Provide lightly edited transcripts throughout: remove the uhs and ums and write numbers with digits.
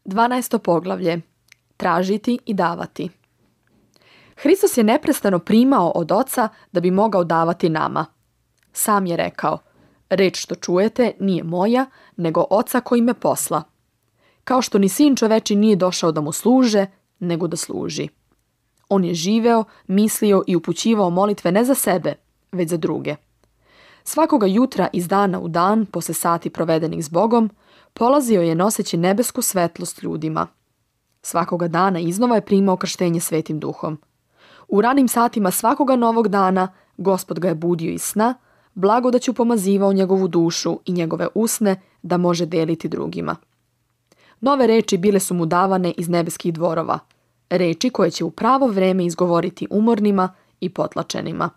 12. poglavlje. Tražiti i davati. Hristos je neprestano primao od Oca da bi mogao davati nama. Sam je rekao, reč što čujete nije moja, nego Oca koji me posla. Kao što ni Sin čoveči nije došao da mu služe, nego da služi. On je živeo, mislio i upućivao molitve ne za sebe, već za druge. Svakoga jutra iz dana u dan, posle sati provedenih s Bogom, polazio je noseći nebesku svetlost ljudima. Svakoga dana iznova je primao krštenje Svetim Duhom. U ranim satima svakoga novog dana Gospod ga je budio iz sna, blagodaću pomazivao njegovu dušu i njegove usne da može deliti drugima. Nove reči bile su mu davane iz nebeskih dvorova, reči koje će u pravo vreme izgovoriti umornima i potlačenima.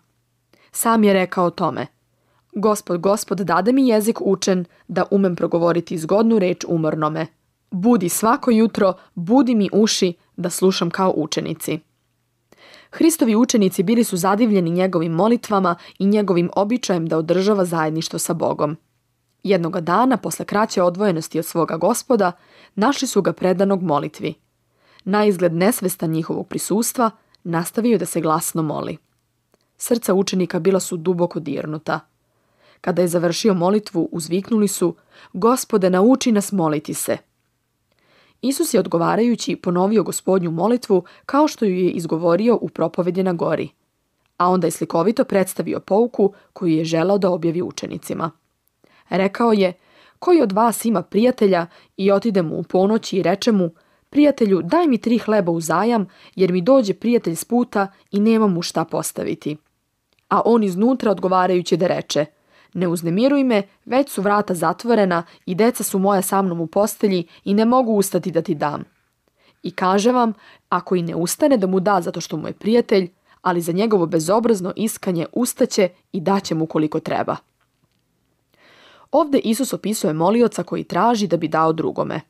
Sam je rekao o tome, Gospod, dade mi jezik učen da umem progovoriti zgodnu reč umornome. Budi svako jutro, budi mi uši da slušam kao učenici. Hristovi učenici bili su zadivljeni njegovim molitvama i njegovim običajem da održava zajedništvo sa Bogom. Jednoga dana, posle kraće odvojenosti od svoga Gospoda, našli su ga predanog molitvi. Na izgled nesvestan njihovog prisustva, nastavio da se glasno moli. Srca učenika bila su duboko dirnuta. Kada je završio molitvu, uzviknuli su, Gospode, nauči nas moliti se. Isus je odgovarajući ponovio Gospodnju molitvu kao što ju je izgovorio u propovedi na gori, a onda je slikovito predstavio pouku koju je želao da objavi učenicima. Rekao je, koji od vas ima prijatelja i otide mu u ponoći i reče mu, prijatelju, daj mi 3 hleba uzajam, jer mi dođe prijatelj s puta i nema mu šta postaviti. A on iznutra odgovarajući da reče, ne uznemiruj me, već su vrata zatvorena i deca su moja sa mnom u postelji i ne mogu ustati da ti dam. I kaže vam, ako i ne ustane da mu da zato što mu je prijatelj, ali za njegovo bezobrazno iskanje ustaće i daće mu koliko treba. Ovde Isus opisuje molioca koji traži da bi dao drugome.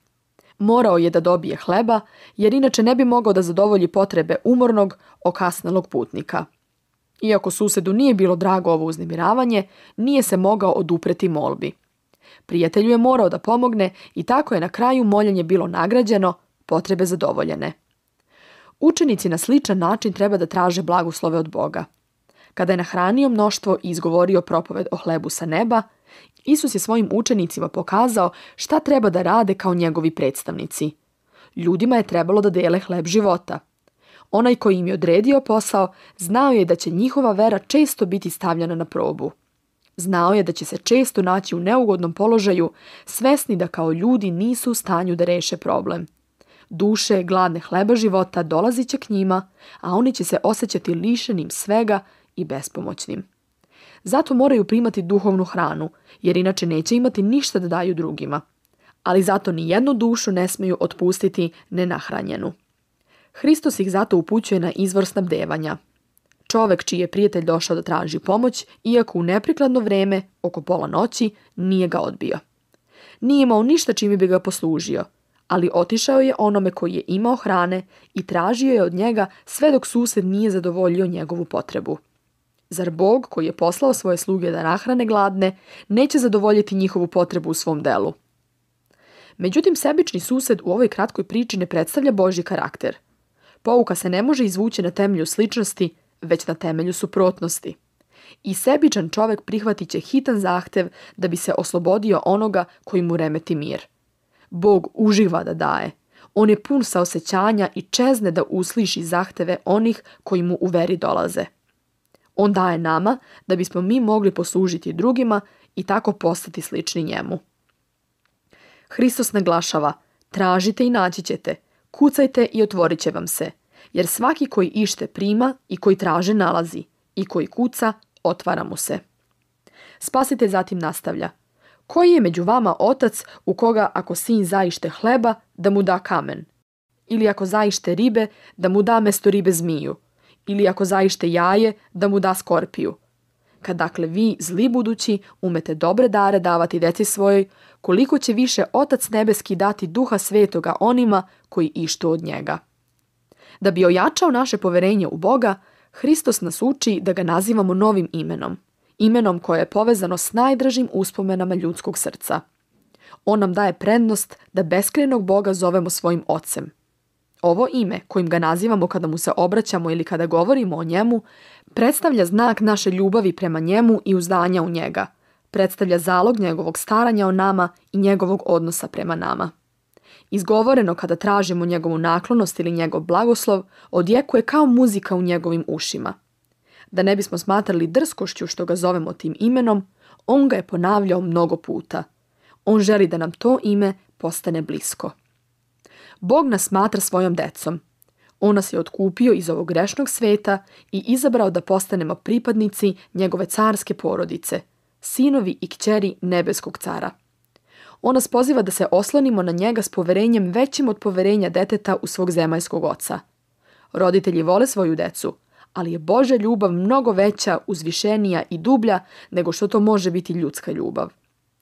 Morao je da dobije hleba, jer inače ne bi mogao da zadovolji potrebe umornog, okasnelog putnika. Iako susedu nije bilo drago ovo uznemiravanje, nije se mogao odupreti molbi. Prijatelju je morao da pomogne i tako je na kraju moljenje bilo nagrađeno, potrebe zadovoljene. Učenici na sličan način treba da traže blagoslove od Boga. Kada je nahranio mnoštvo i izgovorio propoved o hlebu sa neba, Isus je svojim učenicima pokazao šta treba da rade kao njegovi predstavnici. Ljudima je trebalo da dele hleb života. Onaj koji im je odredio posao, znao je da će njihova vera često biti stavljena na probu. Znao je da će se često naći u neugodnom položaju, svesni da kao ljudi nisu u stanju da reše problem. Duše gladne hleba života dolazit će k njima, a oni će se osjećati lišenim svega i bespomoćnim. Zato moraju primati duhovnu hranu, jer inače neće imati ništa da daju drugima. Ali zato ni jednu dušu ne smeju otpustiti nenahranjenu. Hristos ih zato upućuje na izvor snabdevanja. Čovek čiji je prijatelj došao da traži pomoć, iako u neprikladno vreme, oko pola noći, nije ga odbio. Nije imao ništa čime bi ga poslužio, ali otišao je onome koji je imao hrane i tražio je od njega sve dok sused nije zadovoljio njegovu potrebu. Zar Bog, koji je poslao svoje sluge da nahrane gladne, neće zadovoljiti njihovu potrebu u svom delu? Međutim, sebični sused u ovoj kratkoj priči ne predstavlja Božji karakter. Pouka se ne može izvući na temelju sličnosti, već na temelju suprotnosti. I sebičan čovek prihvatit će hitan zahtev da bi se oslobodio onoga koji mu remeti mir. Bog uživa da daje. On je pun saosećanja i čezne da usliši zahteve onih koji mu u veri dolaze. On daje nama da bismo mi mogli poslužiti drugima i tako postati slični njemu. Hristos naglašava, tražite i naći ćete, kucajte i otvorit će vam se, jer svaki koji ište prima i koji traže nalazi, i koji kuca, otvara mu se. Spasitelj zatim nastavlja, koji je među vama otac u koga ako sin zaište hleba, da mu da kamen? Ili ako zaište ribe, da mu da mesto ribe zmiju? Ili ako zaište jaje, da mu da skorpiju? Kad dakle vi, zli budući, umete dobre dare davati deci svojoj, koliko će više Otac nebeski dati Duha Svetoga onima koji ištu od njega. Da bi ojačao naše poverenje u Boga, Hristos nas uči da ga nazivamo novim imenom, imenom koje je povezano s najdražim uspomenama ljudskog srca. On nam daje prednost da beskrajnog Boga zovemo svojim Ocem. Ovo ime, kojim ga nazivamo kada mu se obraćamo ili kada govorimo o njemu, predstavlja znak naše ljubavi prema njemu i uzdanja u njega. Predstavlja zalog njegovog staranja o nama i njegovog odnosa prema nama. Izgovoreno kada tražimo njegovu naklonost ili njegov blagoslov, odjekuje kao muzika u njegovim ušima. Da ne bismo smatrali drskošću što ga zovemo tim imenom, on ga je ponavljao mnogo puta. On želi da nam to ime postane blisko. Bog nas smatra svojom decom. On nas je otkupio iz ovog grešnog sveta i izabrao da postanemo pripadnici njegove carske porodice, sinovi i kćeri nebeskog cara. On nas poziva da se oslonimo na njega s poverenjem većim od poverenja deteta u svog zemaljskog oca. Roditelji vole svoju decu, ali je Božja ljubav mnogo veća, uzvišenija i dublja nego što to može biti ljudska ljubav.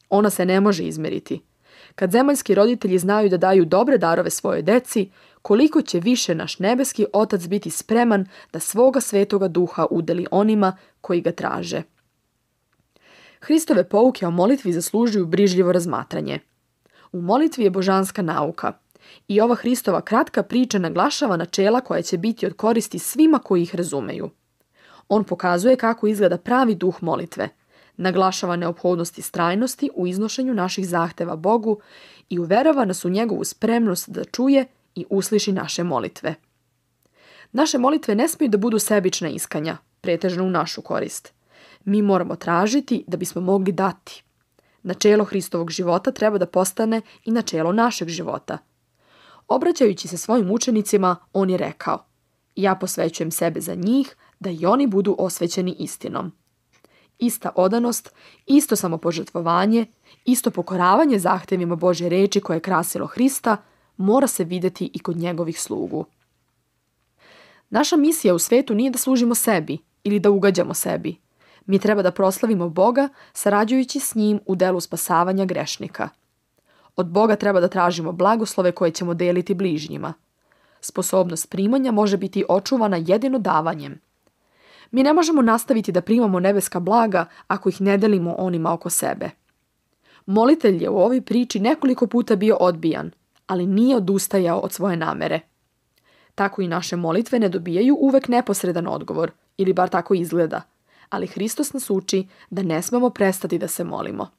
Ona se ne može izmeriti. Kad zemaljski roditelji znaju da daju dobre darove svojoj deci, koliko će više naš nebeski Otac biti spreman da svoga svetoga duha udeli onima koji ga traže. Hristove pouke o molitvi zaslužuju brižljivo razmatranje. U molitvi je božanska nauka i ova Hristova kratka priča naglašava načela koja će biti od koristi svima koji ih razumeju. On pokazuje kako izgleda pravi duh molitve, naglašava neophodnost istrajnosti u iznošenju naših zahteva Bogu i uverava nas u njegovu spremnost da čuje i usliši naše molitve. Naše molitve ne smiju da budu sebična iskanja, pretežno u našu korist. Mi moramo tražiti da bismo mogli dati. Načelo Hristovog života treba da postane i načelo našeg života. Obraćajući se svojim učenicima, on je rekao: ja posvećujem sebe za njih, da i oni budu osvećeni istinom. Ista odanost, isto samopožrtvovanje, isto pokoravanje zahtevima Božje reči koje je krasilo Hrista, mora se vidjeti i kod njegovih slugu. Naša misija u svetu nije da služimo sebi ili da ugađamo sebi. Mi treba da proslavimo Boga sarađujući s njim u delu spasavanja grešnika. Od Boga treba da tražimo blagoslove koje ćemo deliti bližnjima. Sposobnost primanja može biti očuvana jedino davanjem. Mi ne možemo nastaviti da primamo nebeska blaga ako ih ne delimo onima oko sebe. Molitelj je u ovoj priči nekoliko puta bio odbijan, ali nije odustajao od svoje namere. Tako i naše molitve ne dobijaju uvek neposredan odgovor, ili bar tako izgleda, ali Hristos nas uči da ne smemo prestati da se molimo.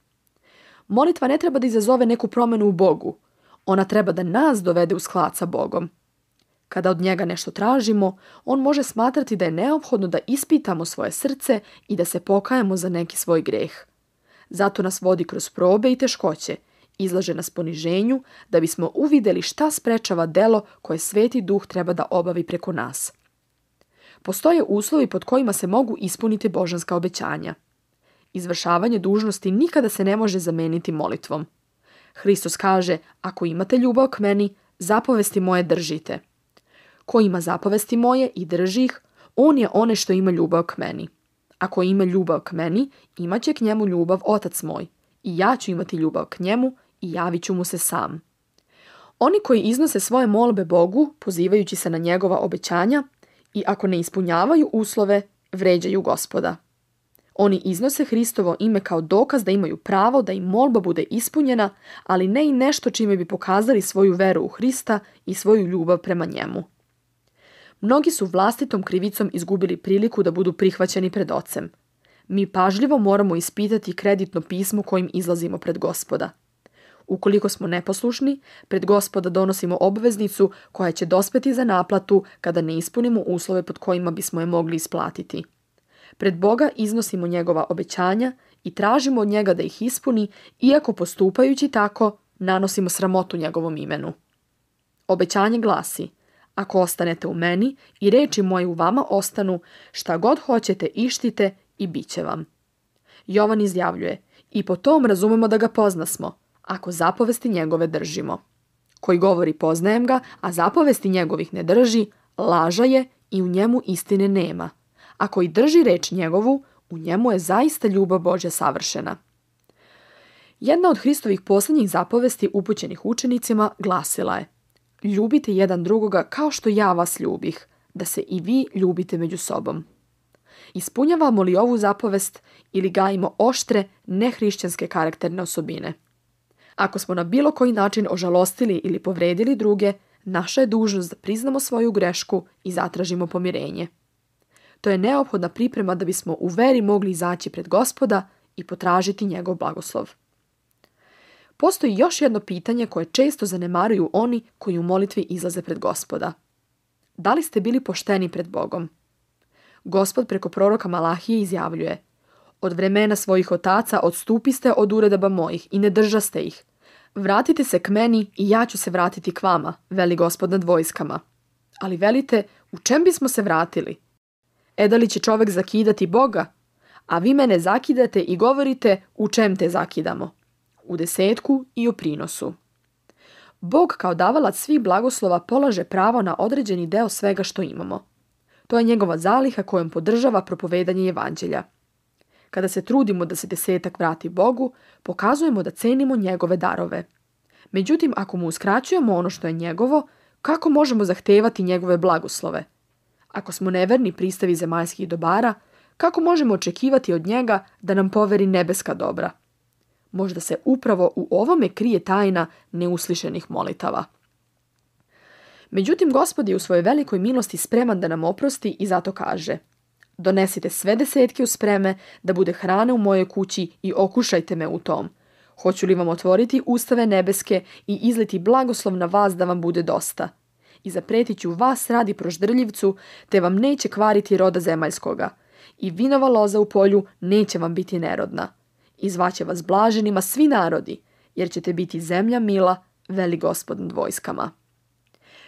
Molitva ne treba da izazove neku promenu u Bogu, ona treba da nas dovede u sklad sa Bogom. Kada od njega nešto tražimo, on može smatrati da je neophodno da ispitamo svoje srce i da se pokajemo za neki svoj greh. Zato nas vodi kroz probe i teškoće, izlaže nas poniženju da bismo uvideli šta sprečava delo koje Sveti Duh treba da obavi preko nas. Postoje uslovi pod kojima se mogu ispuniti božanska obećanja. Izvršavanje dužnosti nikada se ne može zameniti molitvom. Hristos kaže: ako imate ljubav k meni, zapovesti moje držite. Ko ima zapovesti moje i drži ih, on je onaj što ima ljubav k meni. Ako ima ljubav k meni, imat će k njemu ljubav Otac moj, i ja ću imati ljubav k njemu i javit ću mu se sam. Oni koji iznose svoje molbe Bogu, pozivajući se na njegova obećanja, i ako ne ispunjavaju uslove, vređaju Gospoda. Oni iznose Hristovo ime kao dokaz da imaju pravo da im molba bude ispunjena, ali ne i nešto čime bi pokazali svoju veru u Hrista i svoju ljubav prema njemu. Mnogi su vlastitom krivicom izgubili priliku da budu prihvaćeni pred Ocem. Mi pažljivo moramo ispitati kreditno pismo kojim izlazimo pred Gospoda. Ukoliko smo neposlušni, pred Gospoda donosimo obveznicu koja će dospeti za naplatu kada ne ispunimo uslove pod kojima bismo je mogli isplatiti. Pred Boga iznosimo njegova obećanja i tražimo od njega da ih ispuni, iako postupajući tako nanosimo sramotu njegovom imenu. Obećanje glasi: ako ostanete u meni i reči moje u vama ostanu, šta god hoćete ištite i bit će vam. Jovan izjavljuje: i po tom razumemo da ga poznasmo, ako zapovesti njegove držimo. Koji govori poznajem ga, a zapovesti njegovih ne drži, laža je i u njemu istine nema. A koji drži reč njegovu, u njemu je zaista ljubav Božja savršena. Jedna od Hristovih posljednjih zapovesti upućenih učenicima glasila je: ljubite jedan drugoga kao što ja vas ljubih, da se i vi ljubite među sobom. Ispunjavamo li ovu zapovest ili gajimo oštre, nehrišćanske karakterne osobine? Ako smo na bilo koji način ožalostili ili povredili druge, naša je dužnost da priznamo svoju grešku i zatražimo pomirenje. To je neophodna priprema da bismo u veri mogli izaći pred Gospoda i potražiti njegov blagoslov. Postoji još jedno pitanje koje često zanemaruju oni koji u molitvi izlaze pred Gospoda. Da li ste bili pošteni pred Bogom? Gospod preko proroka Malahije izjavljuje: Od vremena svojih otaca odstupiste od uredaba mojih i ne držaste ih. Vratite se k meni i ja ću se vratiti k vama, veli Gospod nad vojskama. Ali velite, u čem bismo se vratili? Da li će čovjek zakidati Boga? A vi mene zakidate i govorite, u čem te zakidamo? U desetku i u prinosu. Bog kao davalac svih blagoslova polaže pravo na određeni deo svega što imamo. To je njegova zaliha kojom podržava propovedanje evanđelja. Kada se trudimo da se desetak vrati Bogu, pokazujemo da cenimo njegove darove. Međutim, ako mu uskraćujemo ono što je njegovo, kako možemo zahtevati njegove blagoslove? Ako smo neverni pristavi zemaljskih dobara, kako možemo očekivati od njega da nam poveri nebeska dobra? Možda se upravo u ovome krije tajna neuslišenih molitava. Međutim, Gospod je u svojoj velikoj milosti spreman da nam oprosti i zato kaže: Donesite sve desetke u spreme, da bude hrane u mojoj kući i okušajte me u tom. Hoću li vam otvoriti ustave nebeske i izliti blagoslov na vas da vam bude dosta? I zapretit ću vas radi proždrljivcu, te vam neće kvariti roda zemaljskoga. I vinova loza u polju neće vam biti nerodna. I zvaće vas blaženima svi narodi, jer ćete biti zemlja mila, veli Gospod nad vojskama.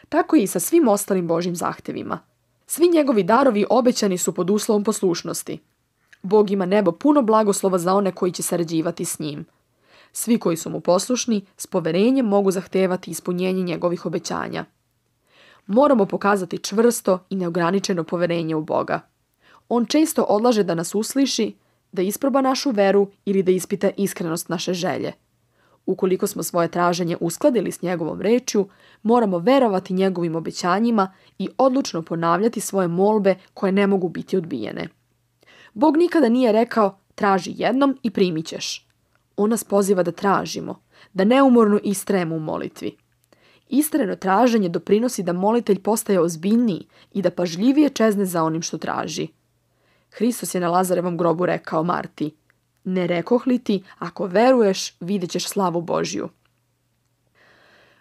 Tako je i sa svim ostalim Božjim zahtevima. Svi njegovi darovi obećani su pod uslovom poslušnosti. Bog ima nebo puno blagoslova za one koji će sarađivati s njim. Svi koji su mu poslušni, s poverenjem mogu zahtevati ispunjenje njegovih obećanja. Moramo pokazati čvrsto i neograničeno poverenje u Boga. On često odlaže da nas usliši, da isproba našu veru ili da ispita iskrenost naše želje. Ukoliko smo svoje traženje uskladili s njegovom rečju, moramo verovati njegovim obećanjima i odlučno ponavljati svoje molbe koje ne mogu biti odbijene. Bog nikada nije rekao: traži jednom i primit ćeš. On nas poziva da tražimo, da neumorno istrajemo u molitvi. Istrajno traženje doprinosi da molitelj postaje ozbiljniji i da pažljivije čezne za onim što traži. Hristos je na Lazarevom grobu rekao Marti: ne rekoh li ti, ako veruješ, vidjet ćeš slavu Božju.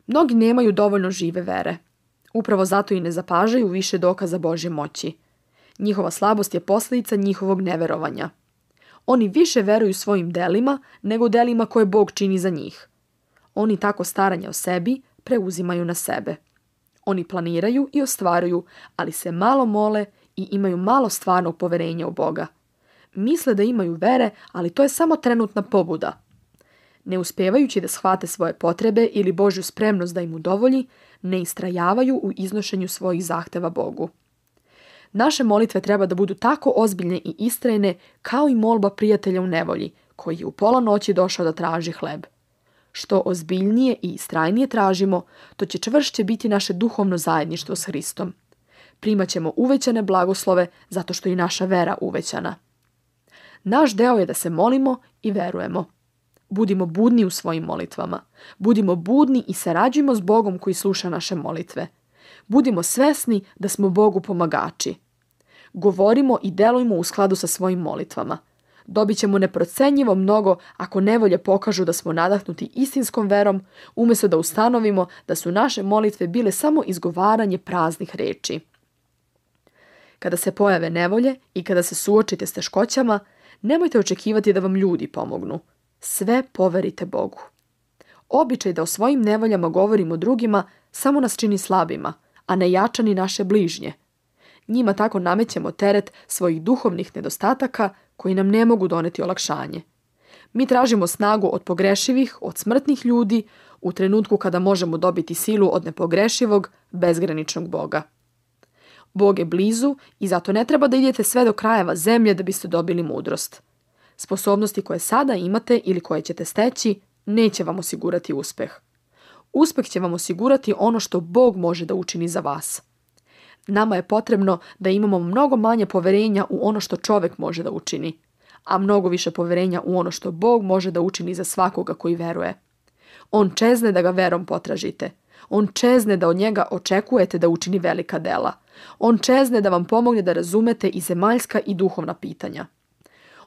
Mnogi nemaju dovoljno žive vere. Upravo zato i ne zapažaju više dokaza Božje moći. Njihova slabost je posljedica njihovog neverovanja. Oni više veruju svojim delima nego delima koje Bog čini za njih. Oni tako staranje o sebi preuzimaju na sebe. Oni planiraju i ostvaruju, ali se malo mole i imaju malo stvarnog poverenja u Boga. Misle da imaju vere, ali to je samo trenutna pobuda. Ne uspijevajući da shvate svoje potrebe ili Božju spremnost da im udovolji, ne istrajavaju u iznošenju svojih zahteva Bogu. Naše molitve treba da budu tako ozbiljne i istrajne kao i molba prijatelja u nevolji, koji je u pola noći došao da traži hleb. Što ozbiljnije i istrajnije tražimo, to će čvršće biti naše duhovno zajedništvo s Hristom. Primat ćemo uvećane blagoslove zato što je i naša vera uvećana. Naš deo je da se molimo i verujemo. Budimo budni u svojim molitvama. Budimo budni i sarađujmo s Bogom koji sluša naše molitve. Budimo svesni da smo Bogu pomagači. Govorimo i delujmo u skladu sa svojim molitvama. Dobit ćemo neprocenjivo mnogo ako nevolje pokažu da smo nadahnuti istinskom verom, umjesto da ustanovimo da su naše molitve bile samo izgovaranje praznih reči. Kada se pojave nevolje i kada se suočite s teškoćama, nemojte očekivati da vam ljudi pomognu. Sve poverite Bogu. Običaj da o svojim nevoljama govorimo drugima samo nas čini slabima, a ne jača ni naše bližnje. Njima tako namećemo teret svojih duhovnih nedostataka koji nam ne mogu doneti olakšanje. Mi tražimo snagu od pogrešivih, od smrtnih ljudi, u trenutku kada možemo dobiti silu od nepogrešivog, bezgraničnog Boga. Bog je blizu i zato ne treba da idete sve do krajeva zemlje da biste dobili mudrost. Sposobnosti koje sada imate ili koje ćete steći neće vam osigurati uspeh. Uspeh će vam osigurati ono što Bog može da učini za vas. Nama je potrebno da imamo mnogo manje poverenja u ono što čovjek može da učini, a mnogo više poverenja u ono što Bog može da učini za svakoga koji veruje. On čezne da ga verom potražite. On čezne da od njega očekujete da učini velika dela. On čezne da vam pomogne da razumete i zemaljska i duhovna pitanja.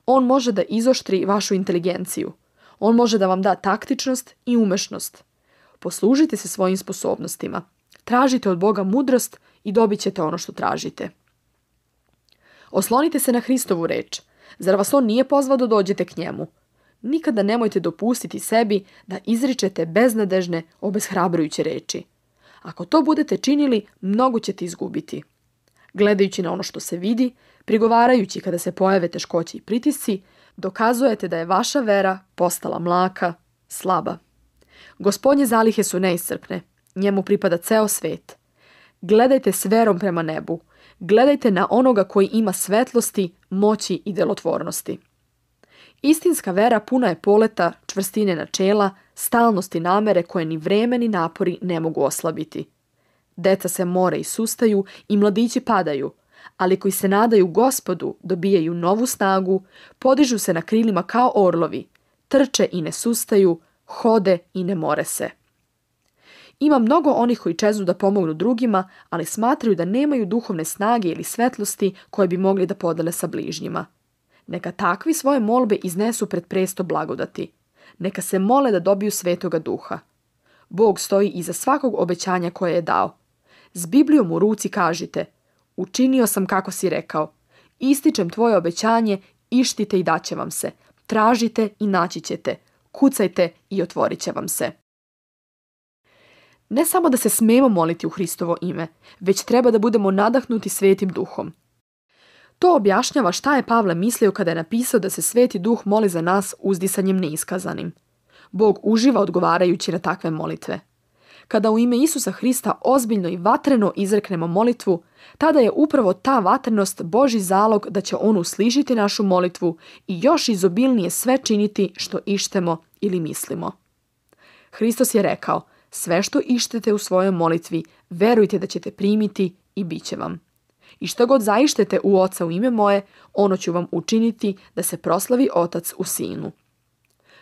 On može da izoštri vašu inteligenciju. On može da vam da taktičnost i umešnost. Poslužite se svojim sposobnostima. Tražite od Boga mudrost i dobit ćete ono što tražite. Oslonite se na Hristovu reč. Zar vas on nije pozvao da dođete k njemu? Nikada nemojte dopustiti sebi da izričete beznadežne, obeshrabrujuće reči. Ako to budete činili, mnogo ćete izgubiti. Gledajući na ono što se vidi, prigovarajući kada se pojave teškoće i pritisci, dokazujete da je vaša vera postala mlaka, slaba. Gospodnje zalihe su neiscrpne, njemu pripada ceo svet. Gledajte s verom prema nebu, gledajte na onoga koji ima svetlosti, moći i delotvornosti. Istinska vera puna je poleta, čvrstine načela, stalnosti namere koje ni vreme ni napori ne mogu oslabiti. Deca se more i sustaju i mladići padaju, ali koji se nadaju Gospodu dobijaju novu snagu, podižu se na krilima kao orlovi, trče i ne sustaju, hode i ne more se. Ima mnogo onih koji čeznu da pomognu drugima, ali smatraju da nemaju duhovne snage ili svetlosti koje bi mogli da podele sa bližnjima. Neka takvi svoje molbe iznesu pred presto blagodati. Neka se mole da dobiju Svetoga Duha. Bog stoji iza svakog obećanja koje je dao. S Biblijom u ruci kažite: učinio sam kako si rekao. Ističem tvoje obećanje, ištite i daće vam se. Tražite i naći ćete. Kucajte i otvorit će vam se. Ne samo da se smemo moliti u Hristovo ime, već treba da budemo nadahnuti Svetim Duhom. To objašnjava šta je Pavle mislio kada je napisao da se Sveti Duh moli za nas uzdisanjem neiskazanim. Bog uživa odgovarajući na takve molitve. Kada u ime Isusa Hrista ozbiljno i vatreno izreknemo molitvu, tada je upravo ta vatrenost Božji zalog da će on uslišiti našu molitvu i još izobilnije sve činiti što ištemo ili mislimo. Hristos je rekao: sve što ištete u svojoj molitvi, verujte da ćete primiti i bit će vam. I što god zaištete u Oca u ime moje, ono ću vam učiniti da se proslavi Otac u Sinu.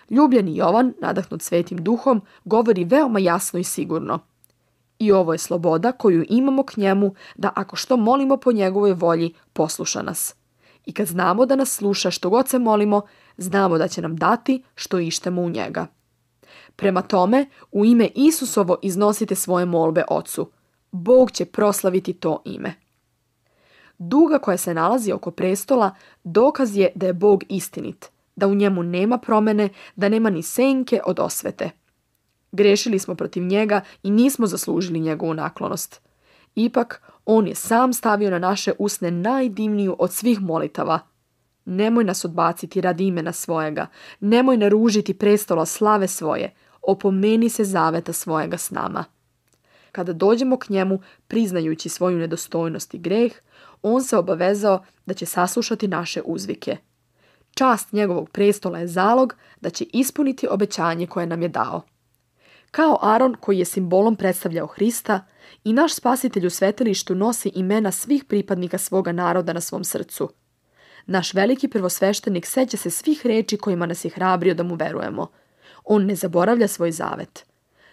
Ljubljeni Jovan, nadahnut Svetim Duhom, govori veoma jasno i sigurno. I ovo je sloboda koju imamo k njemu, da ako što molimo po njegovoj volji, posluša nas. I kad znamo da nas sluša što god se molimo, znamo da će nam dati što ištemo u njega. Prema tome, u ime Isusovo iznosite svoje molbe Ocu. Bog će proslaviti to ime. Duga koja se nalazi oko prestola dokaz je da je Bog istinit, da u njemu nema promene, da nema ni senke od osvete. Grešili smo protiv njega i nismo zaslužili njegovu naklonost. Ipak, on je sam stavio na naše usne najdivniju od svih molitava. Nemoj nas odbaciti radi imena svojega, nemoj naružiti prestola slave svoje, opomeni se zaveta svojega s nama. Kada dođemo k njemu, priznajući svoju nedostojnost i greh, on se obavezao da će saslušati naše uzvike. Čast njegovog prestola je zalog da će ispuniti obećanje koje nam je dao. Kao Aron koji je simbolom predstavljao Hrista, i naš spasitelj u svetilištu nosi imena svih pripadnika svoga naroda na svom srcu. Naš veliki prvosveštenik seća se svih reči kojima nas je hrabrio da mu verujemo. On ne zaboravlja svoj zavet.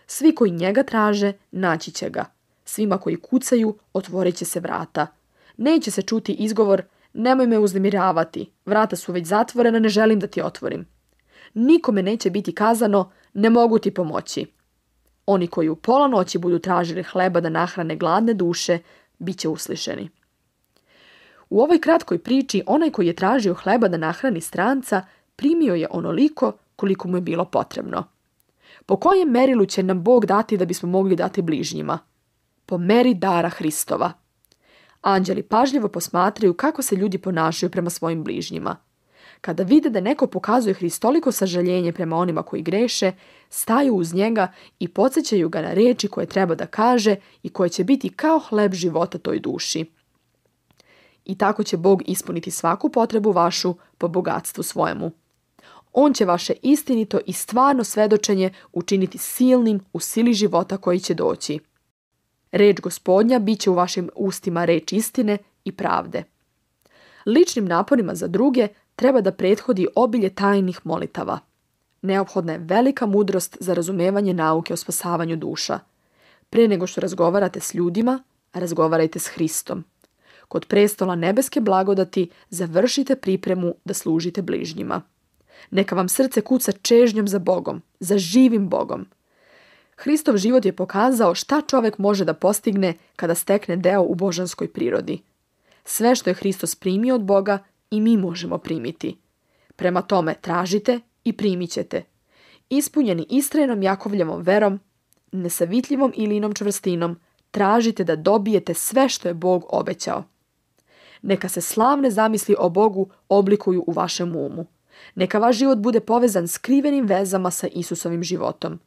Svi koji njega traže, naći će ga. Svima koji kucaju, otvorit će se vrata. Neće se čuti izgovor: nemoj me uznemiravati, vrata su već zatvorena, ne želim da ti otvorim. Nikome neće biti kazano: ne mogu ti pomoći. Oni koji u pola noći budu tražili hleba da nahrane gladne duše, bit će uslišeni. U ovoj kratkoj priči onaj koji je tražio hleba da nahrani stranca primio je onoliko koliko mu je bilo potrebno. Po kojem merilu će nam Bog dati da bismo mogli dati bližnjima? Po meri dara Hristova. Anđeli pažljivo posmatraju kako se ljudi ponašaju prema svojim bližnjima. Kada vide da neko pokazuje hristoliko sažaljenje prema onima koji greše, staju uz njega i podsjećaju ga na reči koje treba da kaže i koje će biti kao hleb života toj duši. I tako će Bog ispuniti svaku potrebu vašu po bogatstvu svojemu. On će vaše istinito i stvarno svedočenje učiniti silnim u sili života koji će doći. Reč Gospodnja bit će u vašim ustima reč istine i pravde. Ličnim naporima za druge treba da prethodi obilje tajnih molitava. neophodna je velika mudrost za razumevanje nauke o spasavanju duša. Pre nego što razgovarate s ljudima, razgovarajte s Hristom. Kod prestola nebeske blagodati završite pripremu da služite bližnjima. Neka vam srce kuca čežnjom za Bogom, za živim Bogom. Hristov život je pokazao šta čovjek može da postigne kada stekne deo u božanskoj prirodi. Sve što je Hristos primio od Boga i mi možemo primiti. Prema tome tražite i primit ćete. Ispunjeni istrajnom Jakovljevom verom, nesavitljivom Ilinom čvrstinom, tražite da dobijete sve što je Bog obećao. Neka se slavne zamisli o Bogu oblikuju u vašem umu. Neka vaš život bude povezan skrivenim vezama sa Isusovim životom.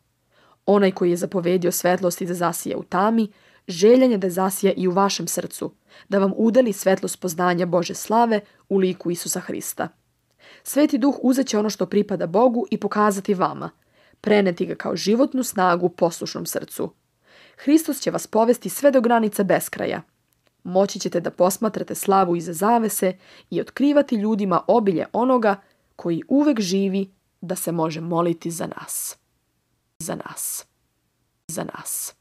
Onaj koji je zapovedio svetlosti da zasija u tami, željan je da zasija i u vašem srcu, da vam udeli svetlost poznanja Bože slave u liku Isusa Hrista. Sveti Duh uzet će ono što pripada Bogu i pokazati vama, preneti ga kao životnu snagu poslušnom srcu. Hristos će vas povesti sve do granica beskraja. Moći ćete da posmatrate slavu iza zavese i otkrivati ljudima obilje onoga koji uvek živi da se može moliti za nas. Za nas. Za nas.